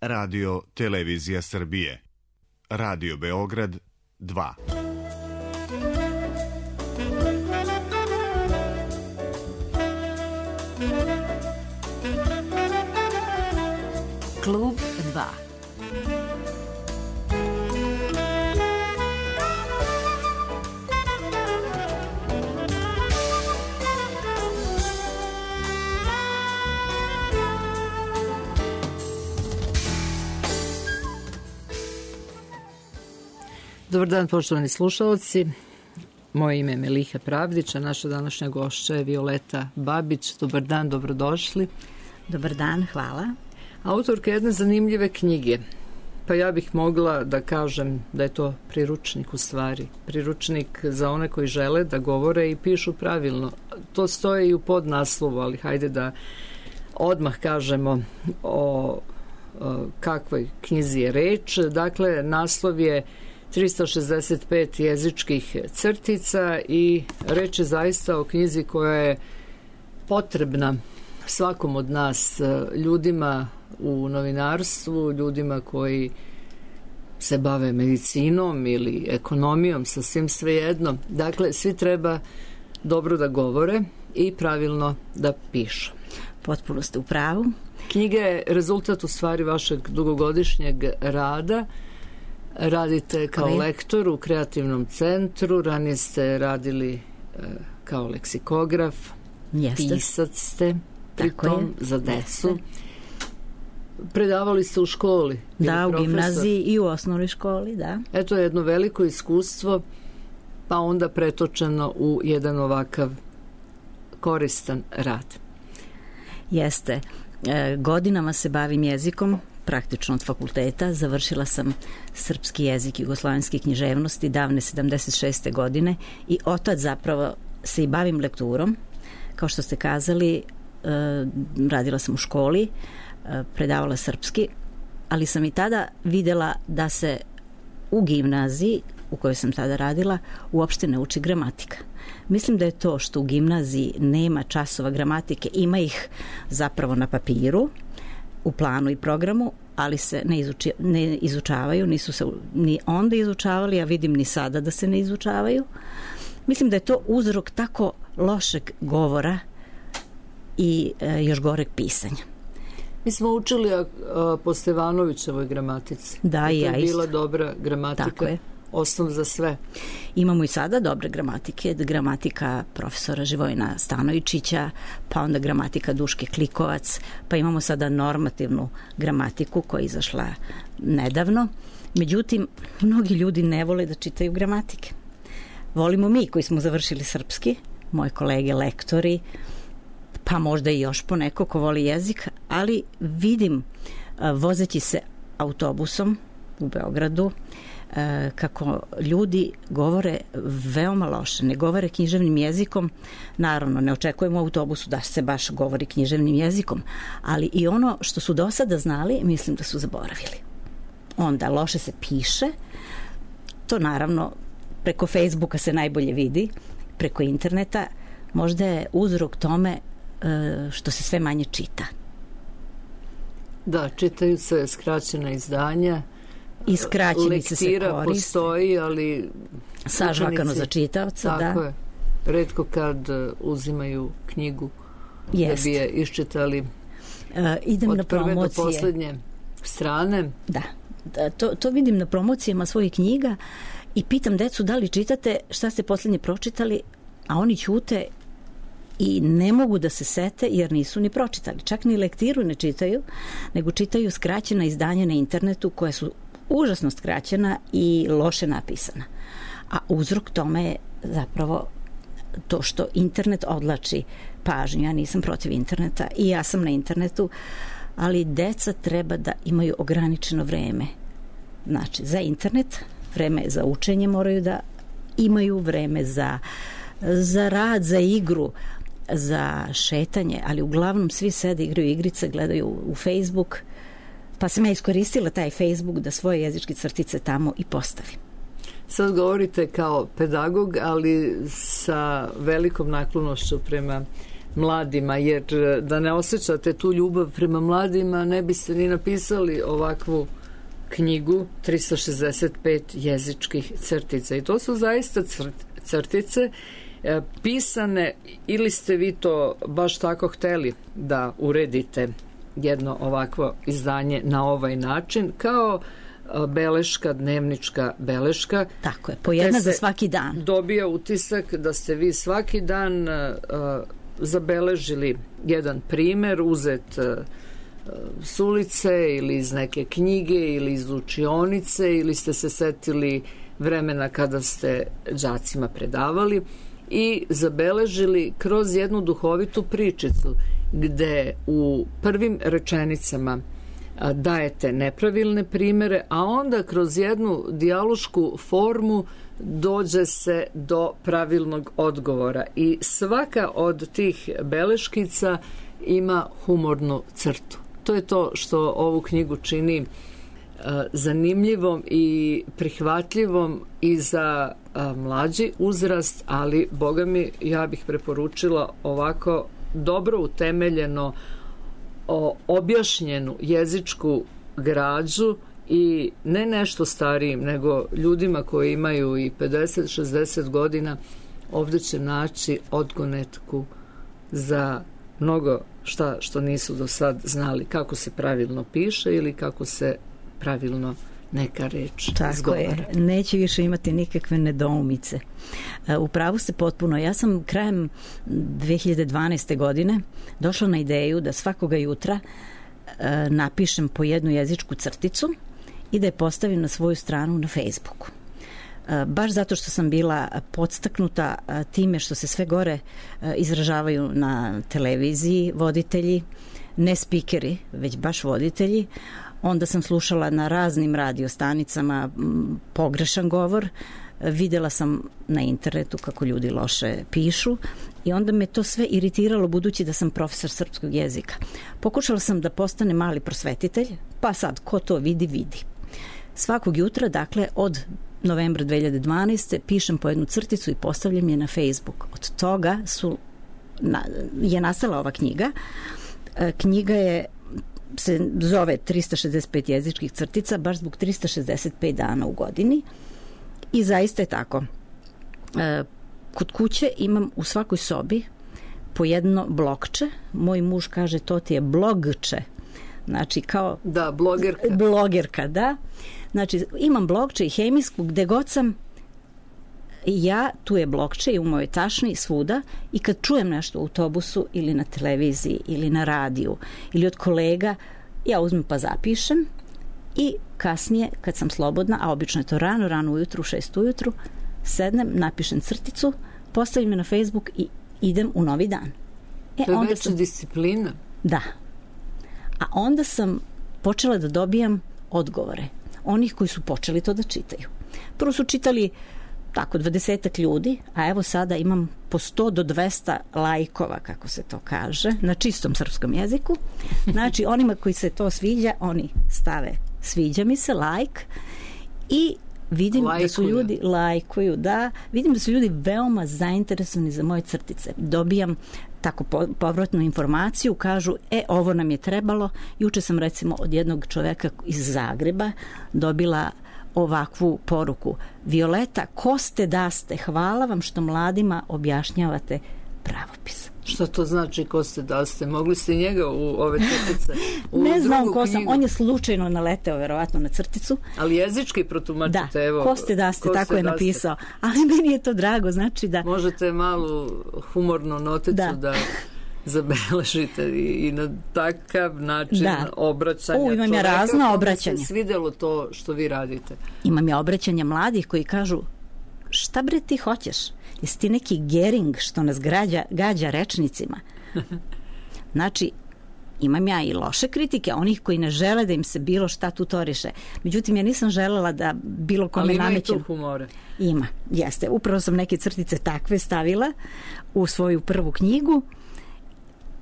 Radio Televizija Srbije. Radio Beograd 2. Klub 2. Dobar dan, poštovani slušalci. Moje ime je Meliha Pravdić, a naša današnja gošća je Violeta Babić. Dobar dan, dobrodošli. Dobar dan, hvala. Autorka jedne zanimljive knjige. Pa ja bih mogla da kažem da je to priručnik u stvari. Priručnik za one koji žele da govore i pišu pravilno. To stoji i u podnaslovu, ali hajde da odmah kažemo o kakvoj knjizi je reč. Dakle, naslov je 365 jezičkih crtica i reč je zaista o knjizi koja je potrebna svakom od nas, ljudima u novinarstvu, ljudima koji se bave medicinom ili ekonomijom, sasvim svejedno. Dakle, svi treba dobro da govore i pravilno da pišu. Potpuno ste u pravu. Knjiga je rezultat u stvari vašeg dugogodišnjeg rada. Radite kao lektor u kreativnom centru, ranije ste radili kao leksikograf, pisac ste, pritom za decu. Predavali ste u školi? Da, u gimnaziji i u osnovnoj školi, da. Eto jedno veliko iskustvo, pa onda pretočeno u jedan ovakav koristan rad. Jeste. Godinama se bavim jezikom, praktično od fakulteta. Završila sam srpski jezik i jugoslovenske književnosti davne 76. godine i otad zapravo se i bavim lekturom. Kao što ste kazali, radila sam u školi, predavala srpski, ali sam i tada videla da se u gimnaziji u kojoj sam tada radila uopšte ne uči gramatika. Mislim da je to što u gimnaziji nema časova gramatike, ima ih zapravo na papiru, u planu i programu, ali se ne izučavaju, nisu se ni onda izučavali, a vidim ni sada da se ne izučavaju. Mislim da je to uzrok tako lošeg govora i još goreg pisanja. Mi smo učili po Stevanovićevoj gramatici. Da, i ja isto. To je bila dobra gramatika. Tako je. Osnov za sve. Imamo i sada dobre gramatike, gramatika profesora Živojina Stanojičića, pa onda gramatika Duške Klikovac, pa imamo sada normativnu gramatiku koja je izašla nedavno. Međutim, mnogi ljudi ne vole da čitaju gramatike. Volimo mi koji smo završili srpski, moje kolege lektori, pa možda i još poneko ko voli jezik, ali vidim vozeći se autobusom u Beogradu kako ljudi govore veoma loše, ne govore književnim jezikom. Naravno, ne očekujemo u autobusu da se baš govori književnim jezikom, ali i ono što su do sada znali, mislim da su zaboravili. Onda loše se piše, to naravno preko Facebooka se najbolje vidi, preko interneta, možda je uzrok tome što se sve manje čita. Da, čitaju se skraćena izdanja, i skraćenice se koriste. Lektira postoji, ali sažvakano za čitavca, tako da. Je. Retko kad uzimaju knjigu Jest. Da bi je iščitali idem od na prve promocije. do poslednje strane. Da, to vidim na promocijama svojih knjiga i pitam decu da li čitate, šta ste poslednje pročitali, a oni ćute i ne mogu da se sete jer nisu ni pročitali. Čak ni lektiru ne čitaju, nego čitaju skraćena izdanja na internetu koja su užasno skraćena i loše napisana. A uzrok tome je zapravo to što internet odlači pažnju. Ja nisam protiv interneta i ja sam na internetu, ali deca treba da imaju ograničeno vreme. Znači, za internet, vreme za učenje moraju da imaju, vreme za rad, za igru, za šetanje, ali uglavnom svi sede, igraju igrice, gledaju u Facebook, pa sam ja iskoristila taj Facebook da svoje jezičke crtice tamo i postavim. Sad govorite kao pedagog, ali sa velikom naklonošću prema mladima, jer da ne osjećate tu ljubav prema mladima ne biste ni napisali ovakvu knjigu 365 jezičkih crtica. I to su zaista crtice pisane, ili ste vi to baš tako hteli da uredite jedno ovakvo izdanje na ovaj način, kao beleška, dnevnička beleška. Tako je, po jedna za svaki dan. Dobija utisak da ste vi svaki dan zabeležili jedan primer, uzet s ulice ili iz neke knjige ili iz učionice, ili ste se setili vremena kada ste đacima predavali i zabeležili kroz jednu duhovitu pričicu gde u prvim rečenicama dajete nepravilne primere, a onda kroz jednu dijalošku formu dođe se do pravilnog odgovora. I svaka od tih beleškica ima humornu crtu. To je to što ovu knjigu čini zanimljivom i prihvatljivom i za mlađi uzrast, ali boga mi, ja bih preporučila ovako dobro utemeljeno objašnjenu jezičku građu i ne nešto starijim, nego ljudima koji imaju i 50-60 godina. Ovdje će naći odgonetku za mnogo šta što nisu do sad znali, kako se pravilno piše ili kako se pravilno neka reč izgovara. Tako je, neće više imati nikakve nedoumice. U pravu ste potpuno. Ja sam krajem 2012. godine došla na ideju da svakoga jutra napišem po jednu jezičku crticu i da je postavim na svoju stranu na Facebooku. Baš zato što sam bila podstaknuta time što se sve gore izražavaju na televiziji voditelji, ne spikeri, već baš voditelji. Onda sam slušala na raznim radiostanicama pogrešan govor, videla sam na internetu kako ljudi loše pišu i onda me to sve iritiralo, budući da sam profesor srpskog jezika. Pokušala sam da postane mali prosvetitelj, pa sad ko to vidi, vidi. Svakog jutra, dakle od novembra 2012. pišem po jednu crticu i postavljam je na Facebook. Od toga je nastala ova knjiga. Knjiga se zove 365 jezičkih crtica, baš zbog 365 dana u godini. I zaista je tako. Kod kuće imam u svakoj sobi po jedno blokče. Moj muž kaže, to ti je blogče. Znači kao... Da, blogerka. Blogerka, da. Znači imam blokče i hemijsku, gde god sam ja, tu je blokče i u mojoj tašni svuda, i kad čujem nešto u autobusu ili na televiziji ili na radiju ili od kolega, ja uzmem pa zapišem i kasnije kad sam slobodna, a obično je to rano ujutru, u 6 ujutru, sednem, napišem crticu, postavim je na Facebook i idem u novi dan. To je veća disciplina. Da. A onda sam počela da dobijam odgovore onih koji su počeli to da čitaju. Prvo su čitali tako 20 ljudi, a evo sada imam po 100 do 200 lajkova, kako se to kaže, na čistom srpskom jeziku. Znači, onima koji se to sviđa, oni stave sviđa mi se, like, i vidim da su ljudi lajkuju, da, vidim da su ljudi veoma zainteresovani za moje crtice. Dobijam tako povratnu informaciju, kažu, ovo nam je trebalo. Juče sam recimo od jednog čoveka iz Zagreba dobila ovakvu poruku: Violeta, ko ste da ste, hvala vam što mladima objašnjavate pravopis. Što to znači ko ste da ste? Mogli ste njega u ove crtice? Ne znam ko sam, on je slučajno naleteo verovatno na crticu. Ali jezički protumačite, da, evo. Ko ste da ste, tako je napisao. Ali meni je to drago, znači da... Možete malu humornu noticu da zabeležite i na takav način obraćanja. Imam ja razna obraćanja. Se svidelo to što vi radite? Imam ja obraćanja mladih koji kažu: šta bre ti hoćeš? Jesi ti neki Gering što nas gađa rečnicima? Znači, imam ja i loše kritike, onih koji ne žele da im se bilo šta tutoriše. Međutim, ja nisam želela da bilo kome namećem. Ali ima i tu humore. Ima, jeste. Upravo sam neke crtice takve stavila u svoju prvu knjigu.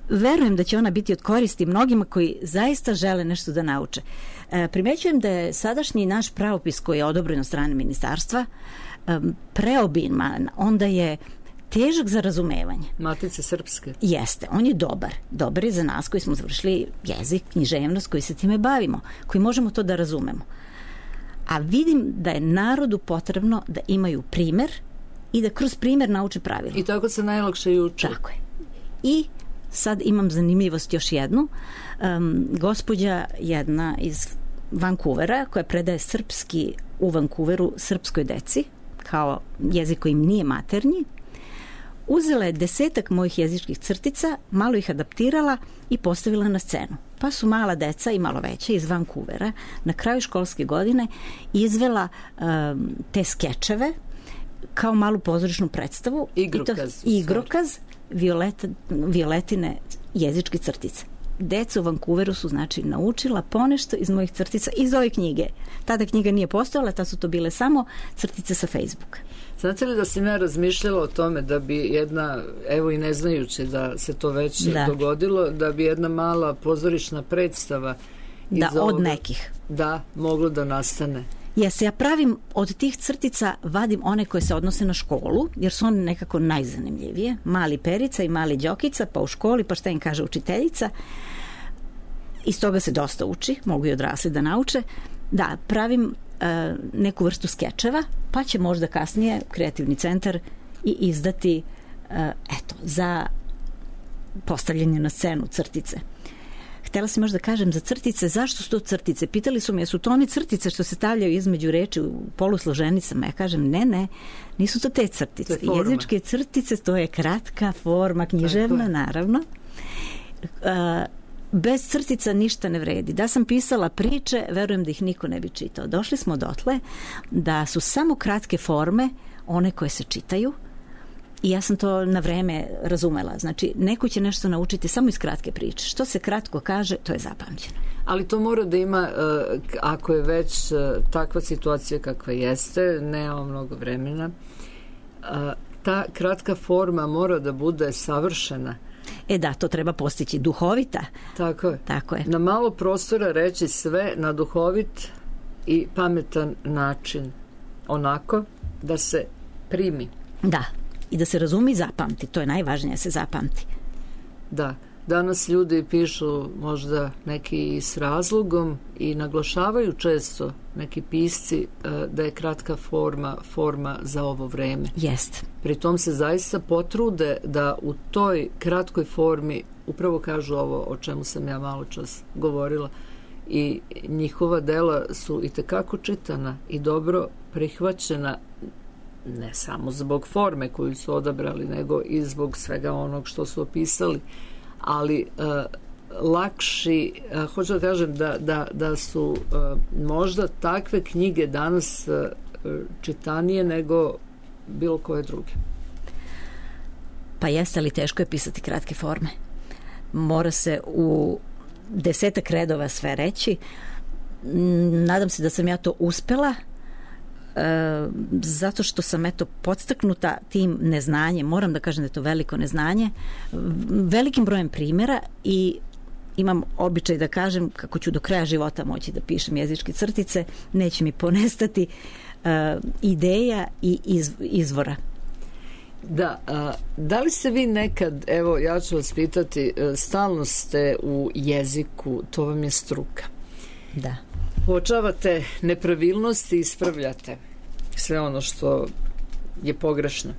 Verujem da će ona biti od koristi mnogima koji zaista žele nešto da nauče. Primećujem da je sadašnji naš pravopis, koji je odobren od strane ministarstva, preobiman. Onda je težak za razumevanje. Matice srpske. Jeste, on je dobar. Dobar je za nas koji smo završili jezik, književnost, koji se time bavimo, koji možemo to da razumemo. A vidim da je narodu potrebno da imaju primer i da kroz primer nauče pravila. I tako se najlakše i uče. Tako je. I sad imam zanimljivost još jednu. Gospođa jedna iz Vancouvera, koja predaje srpski u Vancouveru srpskoj deci, kao jezik koji im nije maternji, uzela je 10 mojih jezičkih crtica, malo ih adaptirala i postavila na scenu. Pa su mala deca i malo veća iz Vancouvera na kraju školske godine izvela te skečeve kao malu pozorišnu predstavu. Igrokaz Violetine jezičke crtice. Deca u Vancouveru su znači naučila ponešto iz mojih crtica, iz ove knjige. Tada knjiga nije postojala, tada su to bile samo crtice sa Facebooka. Znate li da sam ja razmišljala o tome da bi jedna, evo i ne znajući da se to već dogodilo, da bi jedna mala pozorišna predstava od nekih. Da, moglo da nastane. Ja pravim od tih crtica, vadim one koje se odnose na školu, jer su one nekako najzanimljivije. Mali Perica i mali Đokica, pa u školi, pa šta im kaže učiteljica. Iz toga se dosta uči, mogu i odrasli da nauče. Da, pravim neku vrstu skečeva, pa će možda kasnije Kreativni centar i izdati za postavljanje na scenu crtice. Htjela sam još da kažem za crtice, zašto su to crtice? Pitali su me, jesu to one crtice što se stavljaju između reči u polusloženicama? Ja kažem, ne, nisu to te crtice. Jezičke crtice, to je kratka forma, književna, naravno. Bez crtica ništa ne vredi. Da sam pisala priče, verujem da ih niko ne bi čitao. Došli smo dotle da su samo kratke forme one koje se čitaju i ja sam to na vreme razumela. Znači, neko će nešto naučiti samo iz kratke priče. Što se kratko kaže, to je zapamćeno. Ali to mora da ima, ako je već takva situacija kakva jeste, nema mnogo vremena, ta kratka forma mora da bude savršena. Da, to treba postići, duhovita. Tako je. Na malo prostora reći sve na duhovit i pametan način. Onako da se primi. Da, i da se razumi i zapamti. To je najvažnije, da se zapamti. Da, danas ljudi pišu možda neki s razlogom i naglašavaju često neki pisci da je kratka forma za ovo vreme. Jest. Pri tom se zaista potrude da u toj kratkoj formi upravo kažu ovo o čemu sam ja malo čas govorila i njihova dela su itekako čitana i dobro prihvaćena, ne samo zbog forme koju su odabrali, nego i zbog svega onog što su opisali, ali lakši, hoću da kažem da su možda takve knjige danas čitanije nego bilo koje druge. Pa jeste, ali teško je pisati kratke forme. Mora se u 10 redova sve reći. Nadam se da sam ja to uspela, zato što sam podstaknuta tim neznanjem, moram da kažem da je to veliko neznanje, velikim brojem primjera i imam običaj da kažem kako ću do kraja života moći da pišem jezičke crtice, neće mi ponestati ideja i izvora. Da li ste vi nekad, evo ja ću vas pitati, stalno ste u jeziku, to vam je struka. Da. Uočavate nepravilnosti i ispravljate sve ono što je pogrešno.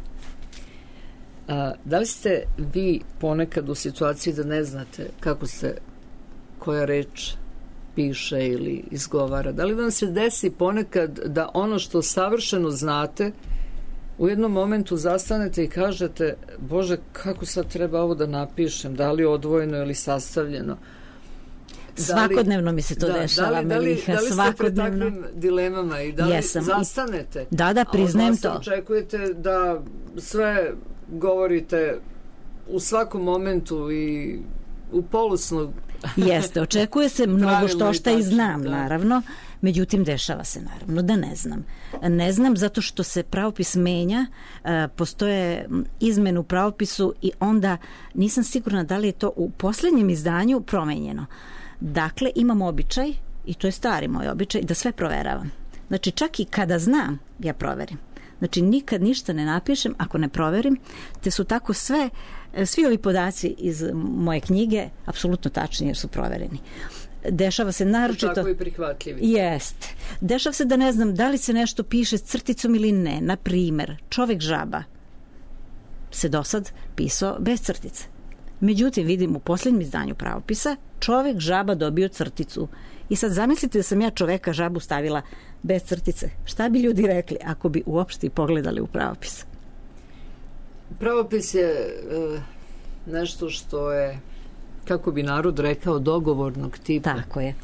Da li ste vi ponekad u situaciji da ne znate kako se koja reč piše ili izgovara? Da li vam se desi ponekad da ono što savršeno znate u jednom momentu zastanete i kažete, Bože, kako sad treba ovo da napišem, da li odvojeno ili sastavljeno? Svakodnevno mi se to dešava, Meliha, svakodnevno. Da li ste pred takvim dilemama i da li zastanete? Da, priznajem to. Očekujete da sve govorite u svakom momentu i u polusnu. Jeste, očekuje se mnogo što i znam, naravno. Međutim, dešava se naravno da ne znam. Ne znam zato što se pravopis menja, postoje izmene u pravopisu i onda nisam sigurna da li je to u posljednjem izdanju promenjeno. Dakle, imam običaj, i to je stari moj običaj, da sve proveravam. Znači, čak i kada znam, ja proverim. Znači nikad ništa ne napišem ako ne proverim, te su tako svi ovi podaci iz moje knjige apsolutno tačni jer su provereni. Dešava se naročito... Tako i prihvatljivi. Jest. Dešava se da ne znam da li se nešto piše s crticom ili ne. Na primer, Čovek žaba se dosad pisao bez crtice. Međutim, vidim u posljednjem izdanju pravopisa Čovek žaba dobio crticu. I sad zamislite da sam ja Čoveka žabu stavila bez crtice. Šta bi ljudi rekli ako bi uopšte pogledali u pravopis? Pravopis je nešto što je, kako bi narod rekao, dogovornog tipa. Tako je.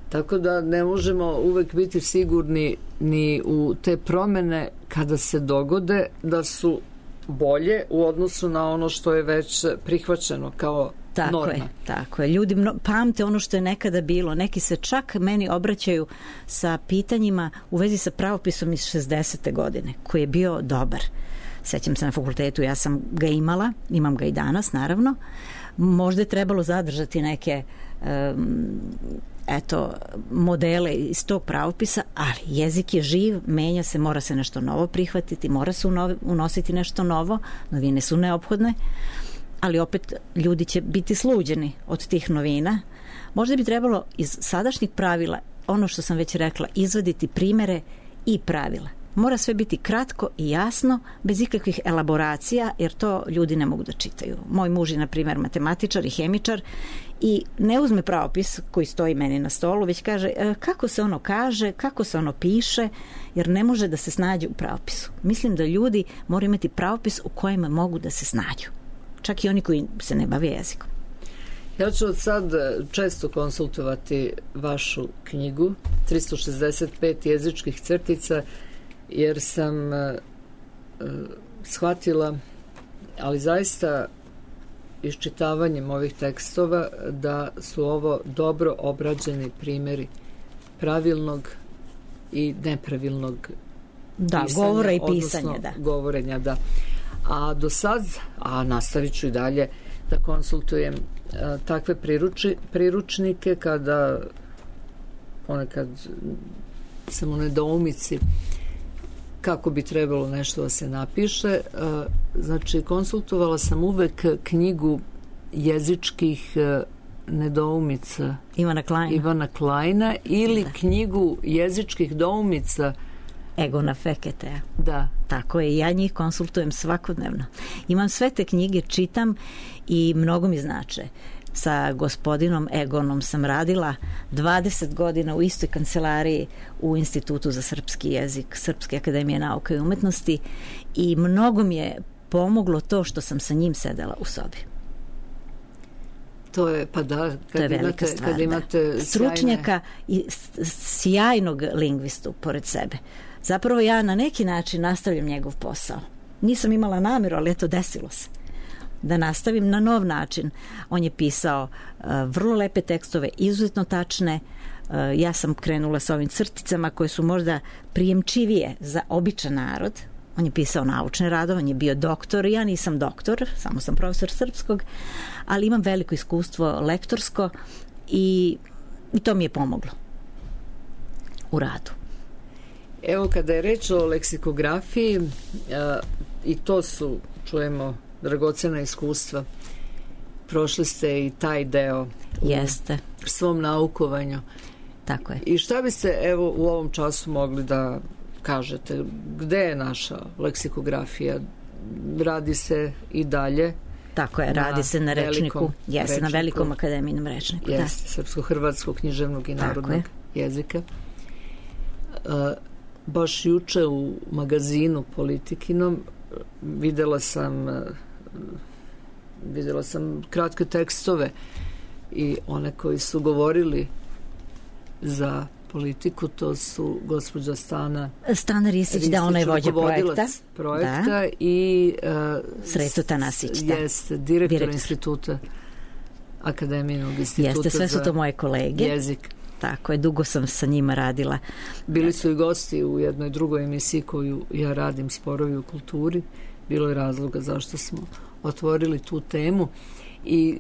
Tako da ne možemo uvek biti sigurni ni u te promene kada se dogode da su bolje u odnosu na ono što je već prihvaćeno kao norma. Tako je. Ljudi pamte ono što je nekada bilo. Neki se čak meni obraćaju sa pitanjima u vezi sa pravopisom iz 60. godine, koji je bio dobar. Sećam se na fakultetu, ja sam ga imala, imam ga i danas, naravno. Možda je trebalo zadržati neke modele iz tog pravopisa, ali jezik je živ, menja se, mora se nešto novo prihvatiti, mora se unositi nešto novo, novine su neophodne, ali opet ljudi će biti sluđeni od tih novina. Možda bi trebalo iz sadašnjih pravila, ono što sam već rekla, izvaditi primere i pravila. Mora sve biti kratko i jasno, bez ikakvih elaboracija, jer to ljudi ne mogu da čitaju. Moj muž je, na primjer, matematičar i hemičar i ne uzme pravopis koji stoji meni na stolu, već kaže kako se ono kaže, kako se ono piše, jer ne može da se snađe u pravopisu. Mislim da ljudi moraju imati pravopis u kojem mogu da se snađu. Čak i oni koji se ne bave jezikom. Ja ću od sad često konsultovati vašu knjigu 365 jezičkih crtica, jer sam shvatila, ali zaista iščitavanjem ovih tekstova, da su ovo dobro obrađeni primjeri pravilnog i nepravilnog pisanja, govora i pisanja, govorenja, da. A do sad, nastavit ću i dalje da konsultujem takve priručnike kada ponekad sam u nedoumici kako bi trebalo nešto da se napiše. Znači, konsultovala sam uvek knjigu jezičkih nedoumica Ivana Kleina ili knjigu jezičkih doumica Egona Feketea. Da. Tako je, ja njih konsultujem svakodnevno. Imam sve te knjige, čitam i mnogo mi znače. Sa gospodinom Egonom sam radila 20 godina u istoj kancelariji u Institutu za srpski jezik Srpske akademije nauka i umetnosti i mnogo mi je pomoglo to što sam sa njim sedela u sobi. To je, kad imate stručnjaka i sjajnog lingvistu pored sebe. Zapravo ja na neki način nastavljam njegov posao. Nisam imala namjeru, ali eto, desilo se da nastavim na nov način. On je pisao vrlo lepe tekstove, izuzetno tačne. Ja sam krenula sa ovim crticama koje su možda prijemčivije za običan narod. On je pisao naučne radove, on je bio doktor. Ja nisam doktor, samo sam profesor srpskog, ali imam veliko iskustvo lektorsko i to mi je pomoglo u radu. Evo, kada je reč o leksikografiji, i to su, čujemo, dragocena iskustva. Prošli ste i taj deo u svom naukovanju. Tako je. I šta biste, evo, u ovom času mogli da kažete? Gde je naša leksikografija? Radi se i dalje? Tako je, radi se na rečniku. Jeste, na velikom akademijnom rečniku. Jeste, srpsko-hrvatskog književnog i narodnog jezika. Baš juče u magazinu Politikinom videla sam kratke tekstove i one koji su govorili za Politiku, to su gospođa Stana Ristić, da, ona je vođa projekta i Sreto Tanasić, jeste, direktor instituta Akademijinog instituta sve su to moje kolege. Jezik. Tako je, dugo sam sa njima radila. Bili su i gosti u jednoj drugoj emisiji koju ja radim, Sporovi u kulturi. Bilo je razloga zašto smo otvorili tu temu. I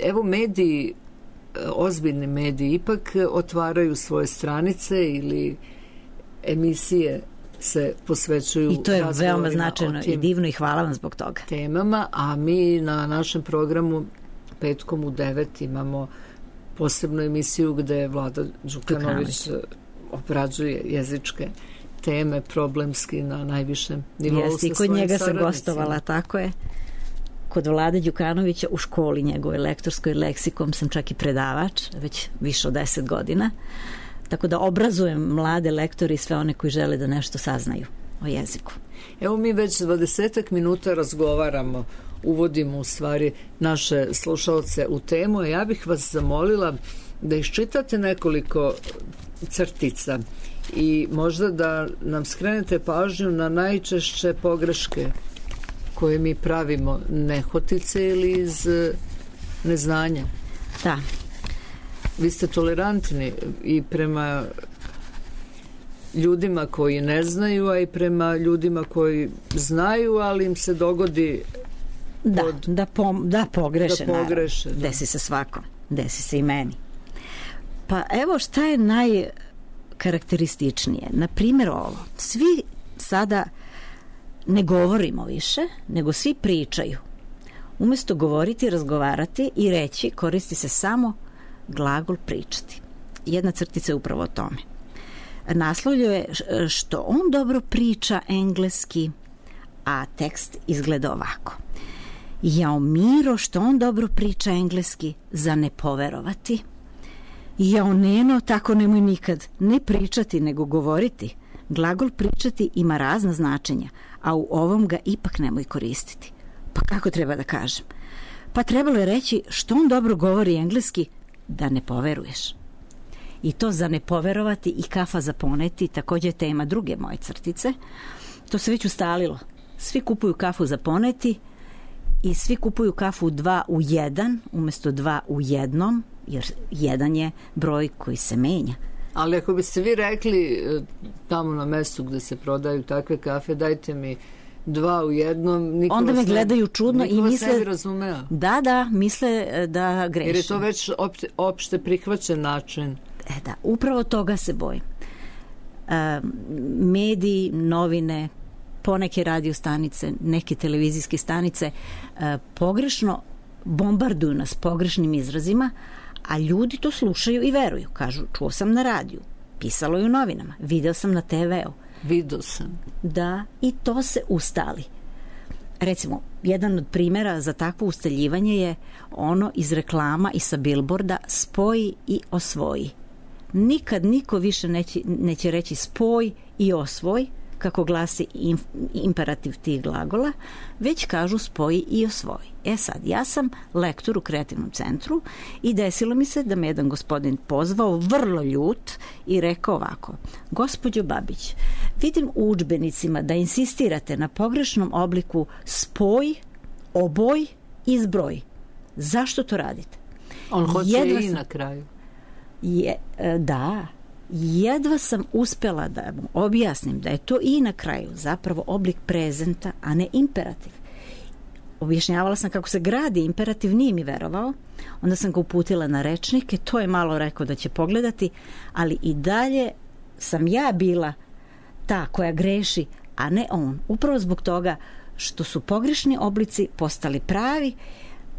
evo, mediji, ozbiljni mediji ipak otvaraju svoje stranice ili emisije se posvećuju i to je veoma značajno i divno i hvala vam zbog toga. Temama, a mi na našem programu petkom u 9 imamo posebnu emisiju gde Vlada Đukanović obrađuje jezičke teme problemski na najvišem nivou. Jeste, i kod njega sam gostovala, tako je. Kod Vlade Đukanovića u školi njegove lektorskoj leksikom sam čak i predavač, već više od 10 godina. Tako da obrazujem mlade lektori i sve one koji žele da nešto saznaju o jeziku. Evo mi već 20 minuta razgovaramo, uvodimo u stvari naše slušalce u temu. Ja bih vas zamolila da iščitate nekoliko crtica i možda da nam skrenete pažnju na najčešće pogreške koje mi pravimo nehotice ili iz neznanja. Da. Vi ste tolerantni i prema ljudima koji ne znaju, a i prema ljudima koji znaju, ali im se dogodi da pogreše. Da. Desi se svakom. Desi se i meni. Pa evo šta je najkarakterističnije. Na primjer ovo. Svi sada ne govorimo više, nego svi pričaju. Umesto govoriti, razgovarati i reći, koristi se samo glagol pričati. Jedna crtica je upravo o tome. Naslovlje je što on dobro priča engleski, a tekst izgleda ovako. Jao Miro, što on dobro priča engleski, za ne poverovati. Jao Neno, tako nemoj nikad ne pričati, nego govoriti. Glagol pričati ima razna značenja, a u ovom ga ipak nemoj koristiti. Pa kako treba da kažem? Pa trebalo je reći što on dobro govori engleski, da ne poveruješ. I to za ne poverovati i kafa za poneti također je tema druge moje crtice. To se već ustalilo. Svi kupuju kafu za poneti i svi kupuju kafu 2 u 1 umjesto 2 u 1, jer 1 je broj koji se menja. Ali ako biste vi rekli tamo na mestu gde se prodaju takve kafe, dajte mi 2 u 1, onda me gledaju čudno i misle da misle da grešim. Jer je to već opšte prihvaćen način. Da, upravo toga se bojim. Mediji, novine, poneke radio stanice, neke televizijske stanice pogrešno bombarduju nas pogrešnim izrazima, a ljudi to slušaju i veruju. Kažu, čuo sam na radiju, pisalo je u novinama, video sam na TV-u. Vidio sam. Da, i to se ustali. Recimo, jedan od primjera za takvo ustaljivanje je ono iz reklama i sa billboarda spoji i osvoji. Nikad niko više neće reći spoj i osvoj, kako glasi imperativ tih glagola, već kažu spoji i osvoji. Sad, ja sam lektor u kreativnom centru i desilo mi se da me jedan gospodin pozvao vrlo ljut i rekao ovako: gospođo Babić, vidim u udžbenicima da insistirate na pogrešnom obliku spoj, oboj i zbroj. Zašto to radite? On hoće i na kraju. Da, jedva sam uspela da mu objasnim da je to i na kraju zapravo oblik prezenta, a ne imperativ. Objašnjavala sam kako se gradi imperativ, nije mi verovao. Onda sam ga uputila na rečnike, to je malo rekao da će pogledati, ali i dalje sam ja bila ta koja greši, a ne on. Upravo zbog toga što su pogrešni oblici postali pravi,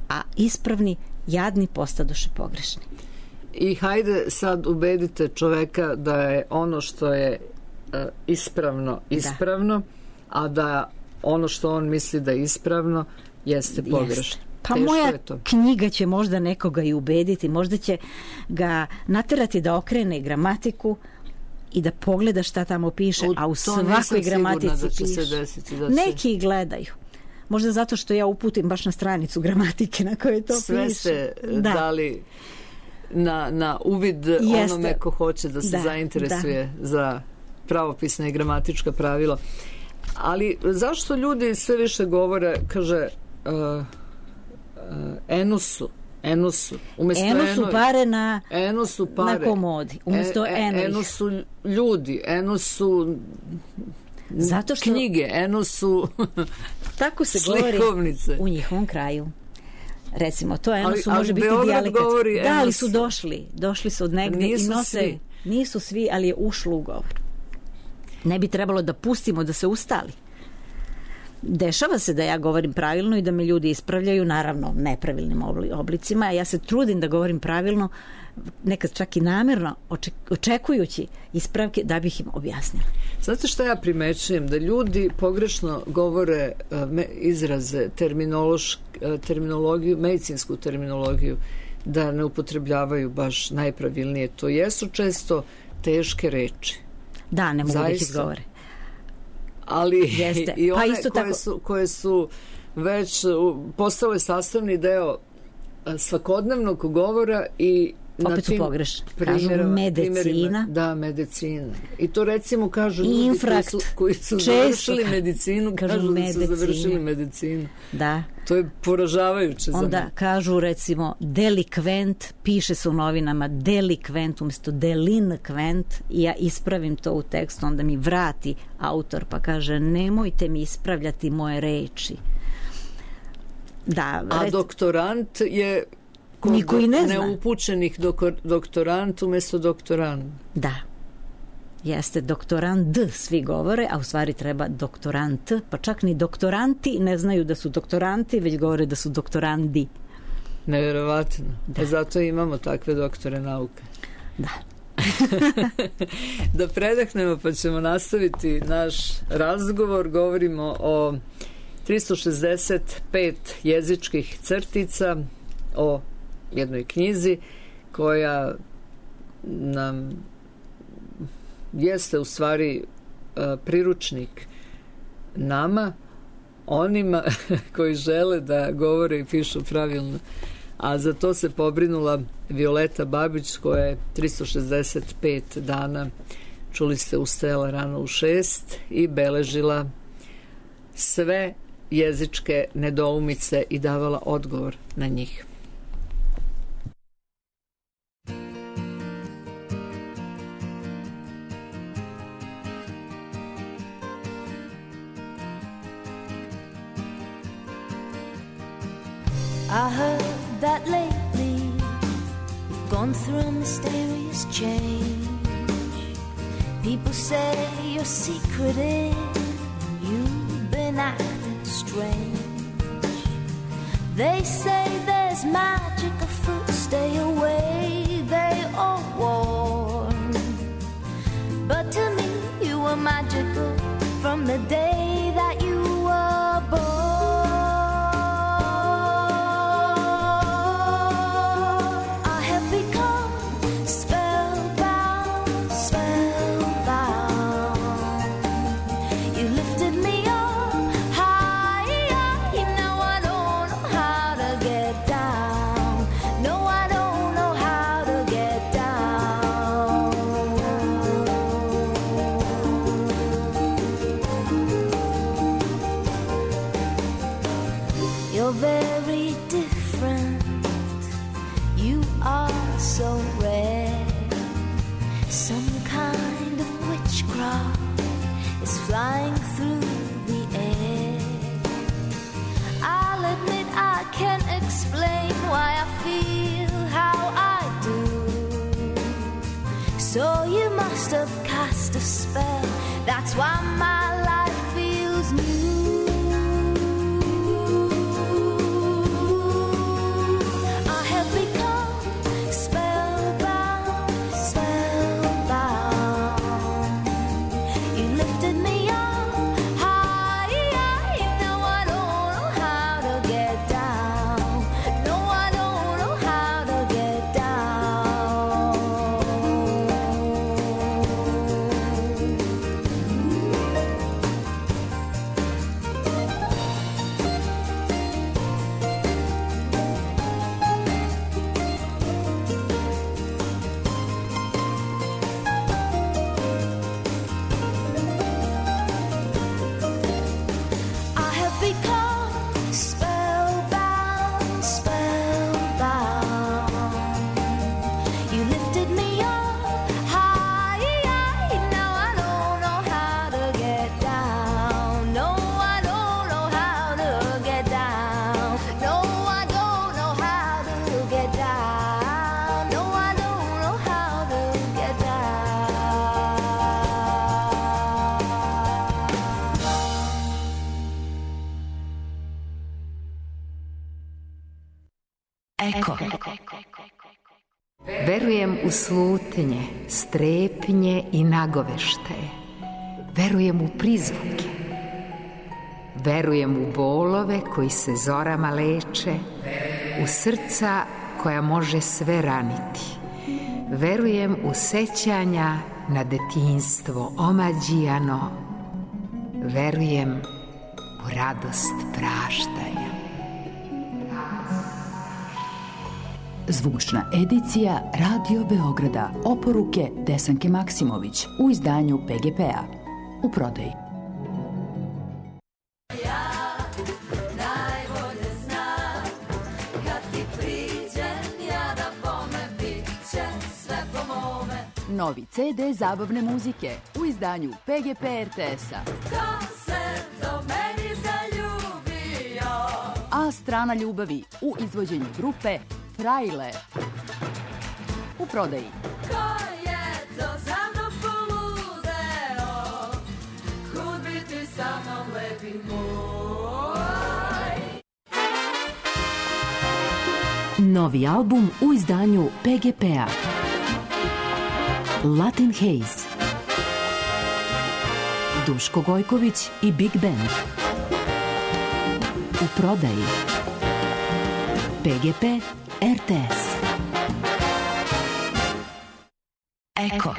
a ispravni, jadni postadoše pogrešni. I hajde sad ubedite čoveka da je ono što je ispravno, a da ono što on misli da je ispravno jeste pogrešno. Pa moja knjiga će možda nekoga i ubediti, možda će ga naterati da okrene gramatiku i da pogleda šta tamo piše, a u svakoj gramatici piše. Neki gledaju. Možda zato što ja uputim baš na stranicu gramatike na kojoj to sve piše. Sve ste dali na uvid onome ko hoće da se zainteresuje za pravopisna i gramatička pravila. Ali zašto ljudi sve više govore, kaže enusu pare na komodi umjesto enosu ljudi, enosu zato što knjige, enosu tako se slikovnice govori u njihovom kraju. Recimo, to enosu može biti dijalekat. Da, ali su došli su od negde i nose, nisu svi, ali je ušlo u govor. ne bi trebalo da pustimo da se ustali. Dešava se da ja govorim pravilno i da me ljudi ispravljaju, naravno nepravilnim oblicima. Ja se trudim da govorim pravilno, nekad čak i namerno, očekujući ispravke da bih im objasnila. Znate što ja primećujem? Da ljudi pogrešno govore izraze, terminologiju, medicinsku terminologiju, da ne upotrebljavaju baš najpravilnije. To jesu često teške reči. Da, ne mogu da ih izgovore. Ali i one koje su već postale sastavni deo svakodnevnog govora i opet su pogrešni. Kažu medicina. Da, medicina. I to recimo kažu ljudi koji su završili medicinu, kažu da su završili medicinu. Da. To je poražavajuće za onda kažu recimo delikvent, piše se u novinama delikvent umjesto delinkvent i ja ispravim to u tekstu, onda mi vrati autor pa kaže nemojte mi ispravljati moje reči. Da, a doktorant je niko i ne zna. Neupućenih doktorant umjesto doktorant. Da. Jeste doktorant, svi govore, a u stvari treba doktorant, pa čak ni doktoranti ne znaju da su doktoranti, već govore da su doktorandi. Nevjerovatno. Da. Zato imamo takve doktore nauke. Da. Da predahnemo pa ćemo nastaviti naš razgovor. Govorimo o 365 jezičkih crtica, o jednoj knjizi koja nam jeste u stvari priručnik nama, onima koji žele da govore i pišu pravilno. A za to se pobrinula Violeta Babić koja je 365 dana, čuli ste, ustajala rano u 6 i beležila sve jezičke nedoumice i davala odgovor na njih. I heard that lately you've gone through a mysterious change. People say you're secretive and you've been acting strange. They say there's magic afoot, stay away, they all warn. But to me you were magical from the day that you were born. Very different, you are so rare. Some kind of witchcraft is flying through the air. I'll admit I can't explain why I feel how I do. So you must have cast a spell, that's why my life feels new. Eko. Verujem u slutnje, strepnje i nagoveštaje. Verujem u prizvuke. Verujem u bolove koji se zorama leče, u srca koja može sve raniti. Verujem u sećanja na detinjstvo omađijano. Verujem u radost praštanja. Zvučna edicija Radio Beograda. Oporuke Desanke Maksimović u izdanju PGP-a. U prodaji. Novi CD zabavne muzike u izdanju PGP RTS-a. Ko se do meni zaljubio? A strana ljubavi u izvođenju grupe Frajle. U prodaji. Ko je to za mnom poludeo? Kud bi ti sa mnom lepi moj? Novi album u izdanju PGP-a. Latin Haze. Duško Gojković i Big Band. U prodaji. PGP RTS. Eko.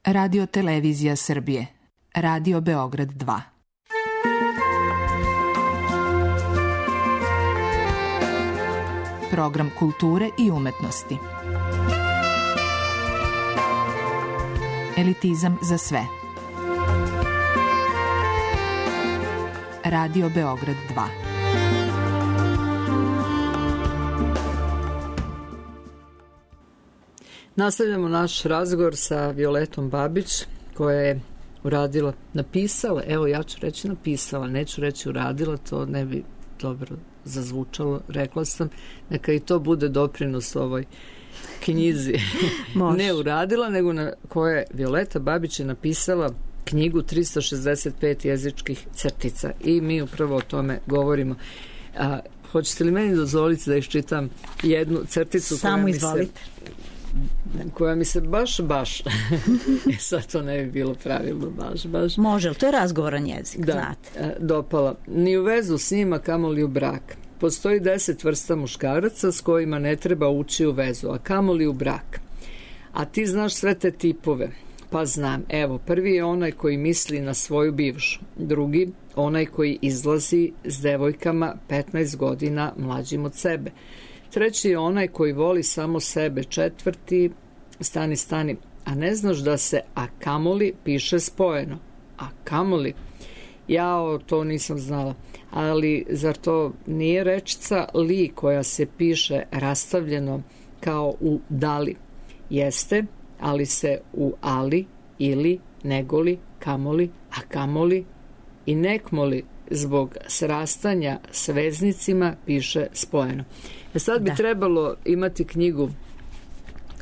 Radio Televizija Srbije. Radio Beograd 2. Program kulture i umetnosti. Elitizam za sve. Radio Beograd 2. Nastavljamo naš razgovor sa Violetom Babić, koja je napisala, evo ja ću reći napisala, neću reći uradila, to ne bi dobro zazvučalo, rekla sam, neka i to bude doprinos ovoj knjizi. Ne uradila, nego koja je Violeta Babić je napisala knjigu 365 jezičkih crtica i mi upravo o tome govorimo. Hoćete li meni dozvoliti da iščitam jednu crticu koja mi se baš sad to ne bi bilo pravilno baš. Može, ali to je razgovoran jezik, znate. Dopala. Ni u vezu s njima, kamoli u brak. Postoji 10 vrsta muškaraca s kojima ne treba ući u vezu, a kamoli u brak. A ti znaš sve te tipove. Pa znam. Evo, prvi je onaj koji misli na svoju bivšu. Drugi, onaj koji izlazi s devojkama 15 godina mlađim od sebe. Treći je onaj koji voli samo sebe. Četvrti, stani, a ne znaš da se a kamoli piše spojeno. A kamoli? Ja to nisam znala. Ali zar to nije rečica li koja se piše rastavljeno kao u dali? Jeste, ali se u ali, ili, negoli, kamoli, a kamoli i nekmoli zbog srastanja s veznicima piše spojeno. Sad bi trebalo imati knjigu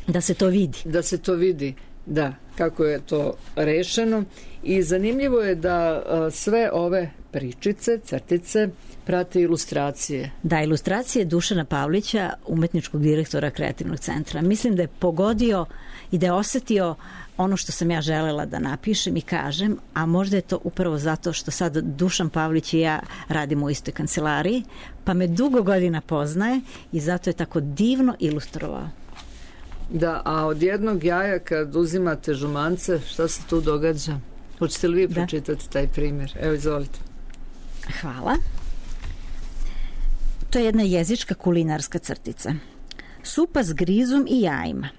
da se to vidi. Da se to vidi, da, kako je to rešeno. I zanimljivo je da sve ove pričice, crtice, prate ilustracije. Da, ilustracije Dušana Pavlića, umetničkog direktora Kreativnog centra. Mislim da je pogodio i da je osetio ono što sam ja želela da napišem i kažem, a možda je to upravo zato što sad Dušan Pavlić i ja radimo u istoj kancelariji, pa me dugo godina poznaje i zato je tako divno ilustrovao. Da, a od jednog jaja kad uzimate žumance, šta se tu događa? Hoćete li vi pročitati taj primjer? Evo, izvolite. Hvala. To je jedna jezička kulinarska crtica. Supa s grizom i jajima.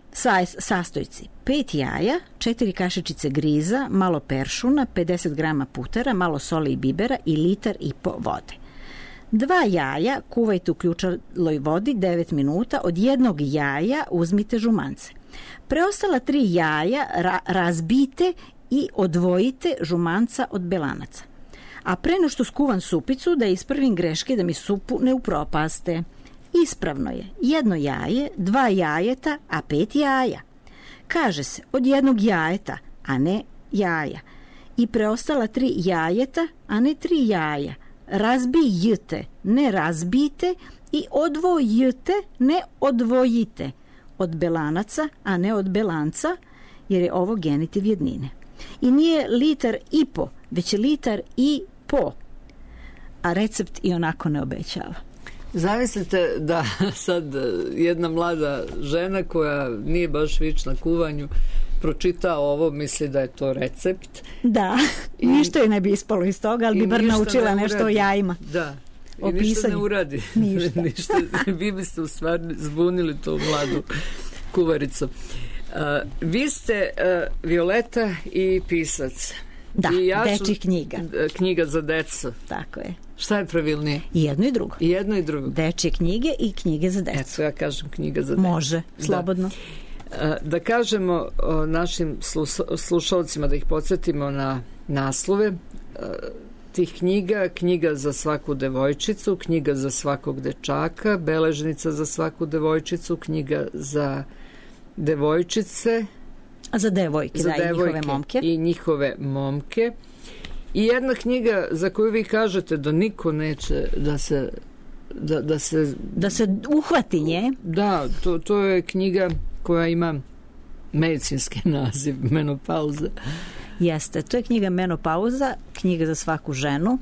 Sastojci: 5 jaja, 4 kašičice griza, malo peršuna, 50 grama putera, malo soli i bibera i 1,5 litara vode. 2 jaja kuvajte u ključaloj vodi 9 minuta, od jednog jaja uzmite žumance. Preostala 3 jaja razbijte i odvojite žumanca od belanaca. A pre no što skuvam supicu, da ispravim greške da mi supu ne upropaste. Ispravno je 1 jaje, 2 jajeta, a 5 jaja. Kaže se od jednog jajeta, a ne jaja. I preostala 3 jajeta, a ne 3 jaja. Razbijte, ne razbijte i odvojite, ne odvojite od belanaca, a ne od belanca, jer je ovo genitiv jednine. I nije litar i po, već je litar i po, a recept i onako ne obećava. Zamislite da sad jedna mlada žena koja nije baš vična kuvanju pročita ovo, misli da je to recept. Da, ništa je ne bi ispalo iz toga, ali bi bar naučila nešto o jajima. Da, i ništa ne uradi. Ništa. Vi biste u stvari zbunili tu mladu kuvaricu. Vi ste Violeta i pisac. Da, dečjih knjiga. Knjiga za decu. Tako je. Šta je pravilnije? I jedno i drugo. I jedno i drugo. Dečje knjige i knjige za decu. Eto, ja kažem knjiga za decu. Može, slobodno. Da kažemo našim slušalcima, da ih podsjetimo na naslove tih knjiga: knjiga za svaku devojčicu, knjiga za svakog dečaka, beležnica za svaku devojčicu, knjiga za devojčice, za devojke, za da, devojke i njihove momke. I njihove momke. I jedna knjiga za koju vi kažete da niko neće da se uhvati nje. Da, to je knjiga koja ima medicinski naziv, Menopauza. Jeste, to je knjiga Menopauza, knjiga za svaku ženu,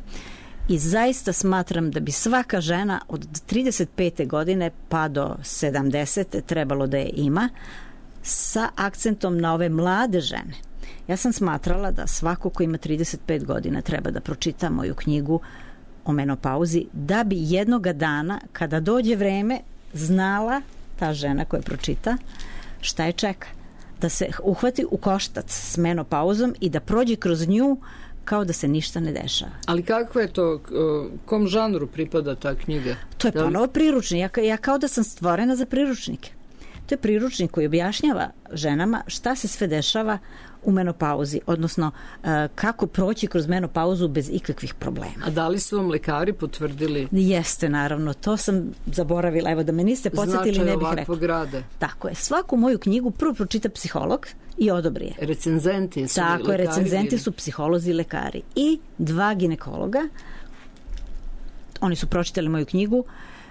i zaista smatram da bi svaka žena od 35. godine pa do 70. trebalo da je ima, sa akcentom na ove mlade žene. Ja sam smatrala da svako ko ima 35 godina treba da pročita moju knjigu o menopauzi, da bi jednoga dana, kada dođe vreme, znala ta žena koja pročita šta je čeka. Da se uhvati u koštac s menopauzom i da prođe kroz nju kao da se ništa ne dešava. Ali kako je to, kom žanru pripada ta knjiga? To je ponovo priručnik. Ja kao da sam stvorena za priručnike. To je priručnik koji objašnjava ženama šta se sve dešava u menopauzi, odnosno kako proći kroz menopauzu bez ikakvih problema. A da li su vam lekari potvrdili? Jeste, naravno, to sam zaboravila. Evo, da me niste podsjetili, ne bih rekla. Rada. Tako je. Svaku moju knjigu prvo pročita psiholog i odobri je. Recenzenti su lekari. Tako je, recenzenti su psiholozi i lekari. I 2 ginekologa. Oni su pročitali moju knjigu.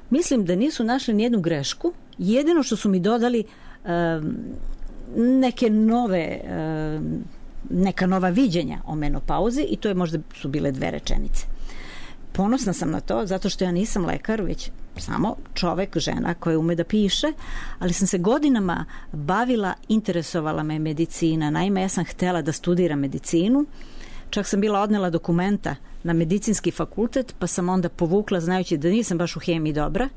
Mislim da nisu našli nijednu grešku. Jedino što su mi dodali neka nova viđenja o menopauzi, i to je možda su bile 2 rečenice. Ponosna sam na to, zato što ja nisam lekar, već samo čovek, žena koja ume da piše, ali sam se godinama bavila, interesovala me medicina. Naime, ja sam htela da studiram medicinu, čak sam bila odnela dokumenta na medicinski fakultet, pa sam onda povukla, znajući da nisam baš u hemiji dobra.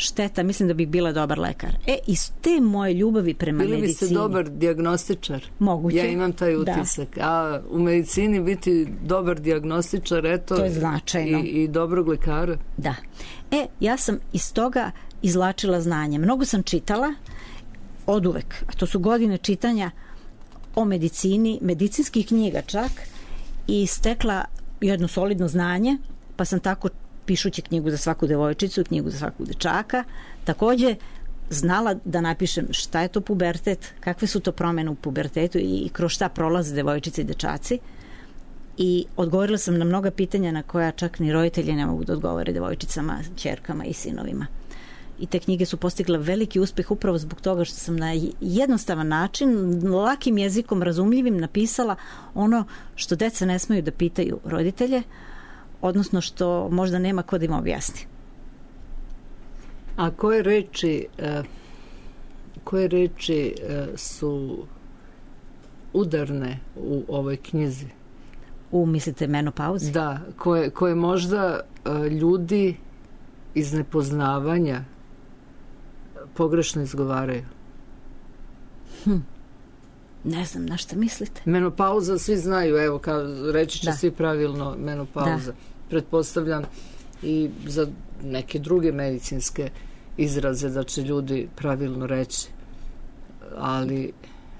Šteta, mislim da bih bila dobar lekar. Iz te moje ljubavi prema medicini... Bili biste dobar dijagnostičar? Moguće. Ja imam taj utisak. Da. A u medicini biti dobar dijagnostičar, eto... To je značajno. I dobrog lekara. Da. Ja sam iz toga izvlačila znanje. Mnogo sam čitala, oduvek, a to su godine čitanja o medicini, medicinskih knjiga čak, i stekla jedno solidno znanje, pa sam tako, pišući knjigu za svaku devojčicu, knjigu za svakog dečaka, takođe znala da napišem šta je to pubertet, kakve su to promene u pubertetu i kroz šta prolaze devojčice i dečaci, i odgovorila sam na mnoga pitanja na koja čak ni roditelji ne mogu da odgovore devojčicama, ćerkama i sinovima. I te knjige su postigle veliki uspeh upravo zbog toga što sam na jednostavan način, lakim jezikom, razumljivim, napisala ono što deca ne smeju da pitaju roditelje, odnosno što možda nema ko da im objasni. A koje reči su udarne u ovoj knjizi? Mislite menopauzi? Da, koje možda ljudi iz nepoznavanja pogrešno izgovaraju. Ne znam na šta mislite. Menopauza svi znaju, evo, reći će svi pravilno menopauza. Da. Pretpostavljam i za neke druge medicinske izraze da će ljudi pravilno reći. Ali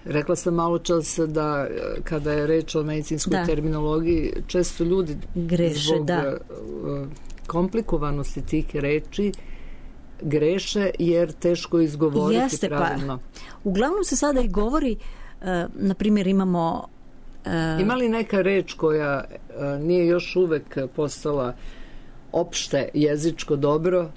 rekla sam malo čas da kada je reč o medicinskoj terminologiji, često ljudi zbog komplikovanosti tih reči greše jer teško izgovoriti pravilno. Pa, uglavnom se sada i govori, na primjer imamo... Ima li neka reč koja nije još uvek postala opšte jezičko dobro,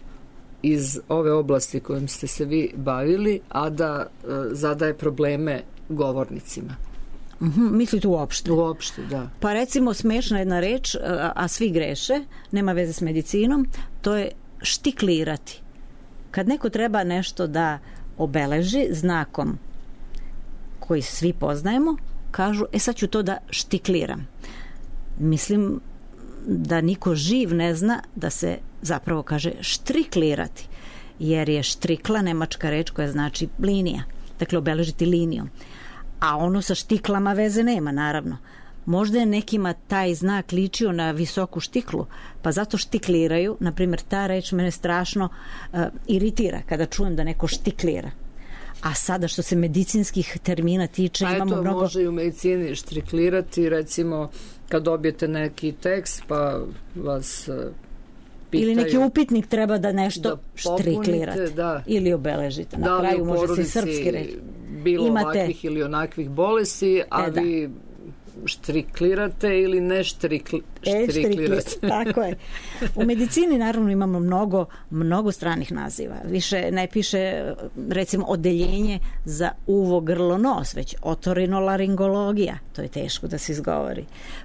iz ove oblasti kojom ste se vi bavili, a da zadaje probleme govornicima. Mislite uopšte? Uopšte, da. Pa recimo smešna jedna reč, a svi greše, nema veze s medicinom, to je štiklirati. Kad neko treba nešto da obeleži znakom koji svi poznajemo, kažu, sad ću to da štikliram. Mislim da niko živ ne zna da se zapravo kaže štriklirati, jer je štrikla nemačka reč koja znači linija, dakle obeležiti linijom. A ono sa štiklama veze nema, naravno. Možda je nekima taj znak ličio na visoku štiklu, pa zato štikliraju. Naprimjer, ta reč mene strašno iritira kada čujem da neko štiklira. A sada što se medicinskih termina tiče, imamo mnogo... Može i u medicini štiklirati, recimo kad dobijete neki tekst pa vas pitaju... Ili neki upitnik treba da nešto da štriklirate, da. Ili obeležite. Na kraju može se srpski reći. Bilo ovakvih ili onakvih bolesti, a vi štriklirate ili ne štriklirate. Tako je. U medicini naravno imamo mnogo stranih naziva. Više ne piše recimo odeljenje za uvo, grlo, nos, već otorinolaringologija. To je teško da se izgovori.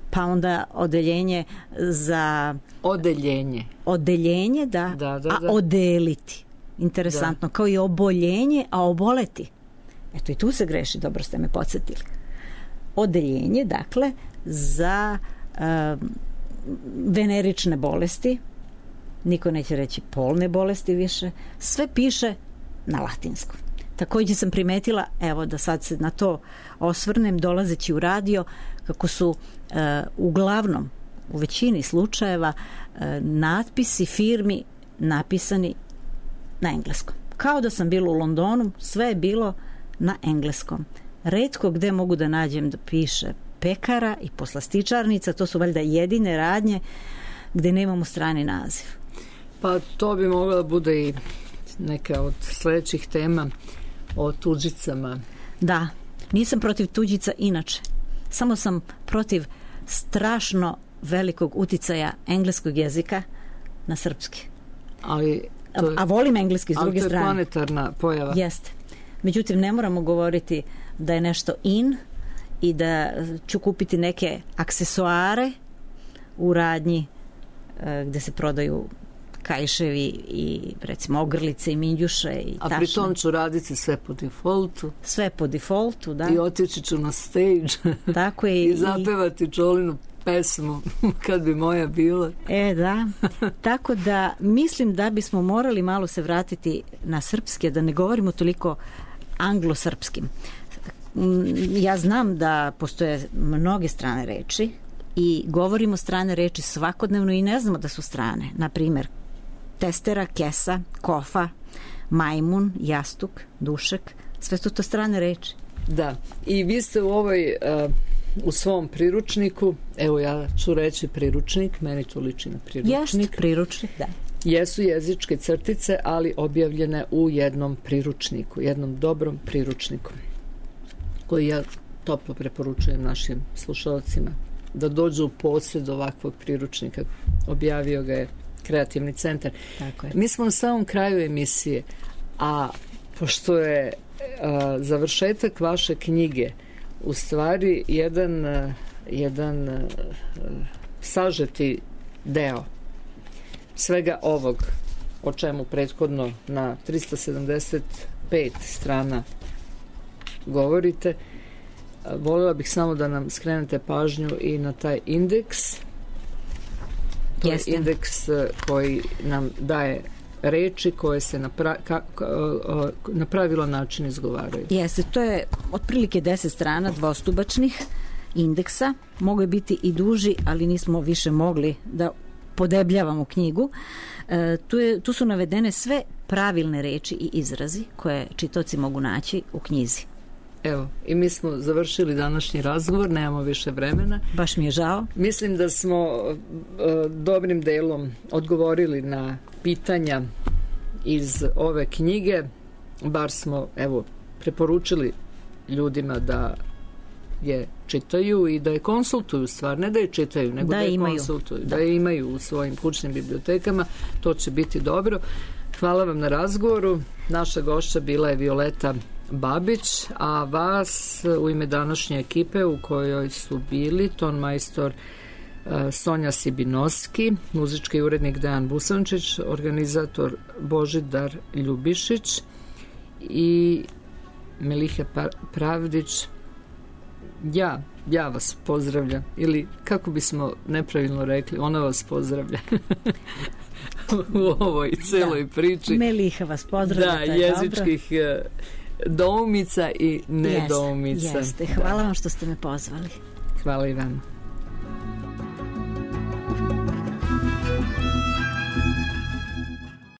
Pa onda odeljenje za... Odeljenje, da. A odeliti. Interesantno. Kao i oboljenje, a oboleti. Eto i tu se greši, dobro ste me podsjetili. Odeljenje, dakle, za venerične bolesti, niko neće reći polne bolesti više, sve piše na latinskom. Također sam primetila, evo da sad se na to osvrnem, dolazeći u radio, kako su uglavnom, u većini slučajeva, natpisi firmi napisani na engleskom. Kao da sam bila u Londonu, sve je bilo na engleskom. Retko gde mogu da nađem da piše pekara i poslastičarnica, to su valjda jedine radnje gde nemamo strani naziv. Pa to bi mogla da bude i neka od sledećih tema o tuđicama. Da, nisam protiv tuđica inače. Samo sam protiv strašno velikog uticaja engleskog jezika na srpski. A volim engleski s druge strane. Ali to je planetarna pojava. Jeste. Međutim, ne moramo govoriti da je nešto in i da ću kupiti neke aksesuare u radnji gde se prodaju kaiševi i recimo ogrlice i minđuše i tašne. A pri tom ću raditi sve po defaultu. Sve po defaultu, da. I otići ću na stage. Tako je. I zapevati Čolinu pesmu kad bi moja bila. Da. Tako da mislim da bismo morali malo se vratiti na srpske, da ne govorimo toliko anglosrpskim. Ja znam da postoje mnoge strane reči i govorimo strane reči svakodnevno i ne znamo da su strane. Naprimjer, testera, kesa, kofa, majmun, jastuk, dušek, sve su to strane reči. Da, i vi ste u svom priručniku, evo ja ću reći priručnik, meni to liči na priručnik. Jest, priručnik, da. Jesu jezičke crtice, ali objavljene u jednom priručniku, jednom dobrom priručniku, koji ja toplo preporučujem našim slušalcima da dođu u posjed ovakvog priručnika. Objavio ga je Kreativni centar. Tako je. Mi smo na samom kraju emisije, a pošto je završetak vaše knjige u stvari jedan sažeti deo svega ovog o čemu prethodno na 375 strana govorite, voljela bih samo da nam skrenete pažnju i na taj indeks. To je indeks koji nam daje reči koje se na pravilan način izgovaraju. Jeste, to je otprilike 10 strana dvostubačnih indeksa. Mogu je biti i duži, ali nismo više mogli da podebljavamo knjigu. Tu su navedene sve pravilne reči i izrazi koje čitaoci mogu naći u knjizi. Evo, i mi smo završili današnji razgovor, nemamo više vremena. Baš mi je žao. Mislim da smo dobrim delom odgovorili na pitanja iz ove knjige, bar smo, evo, preporučili ljudima da je čitaju i da je konsultuju stvar, ne da je čitaju, nego da je konsultuju, da je imaju u svojim kućnim bibliotekama, to će biti dobro. Hvala vam na razgovoru. Naša gošća bila je Violeta Babić, a vas u ime današnje ekipe u kojoj su bili tonmajstor Sonja Sibinoski, muzički urednik Dejan Busančić, organizator Božidar Ljubišić i Melihe Pravdić. Ja vas pozdravljam, ili kako bismo nepravilno rekli, ona vas pozdravlja u ovoj celoj priči. Meliha vas pozdravlja, da, jezičkih doumica i nedoumica. Jeste. Hvala vam što ste me pozvali. Hvala i vam.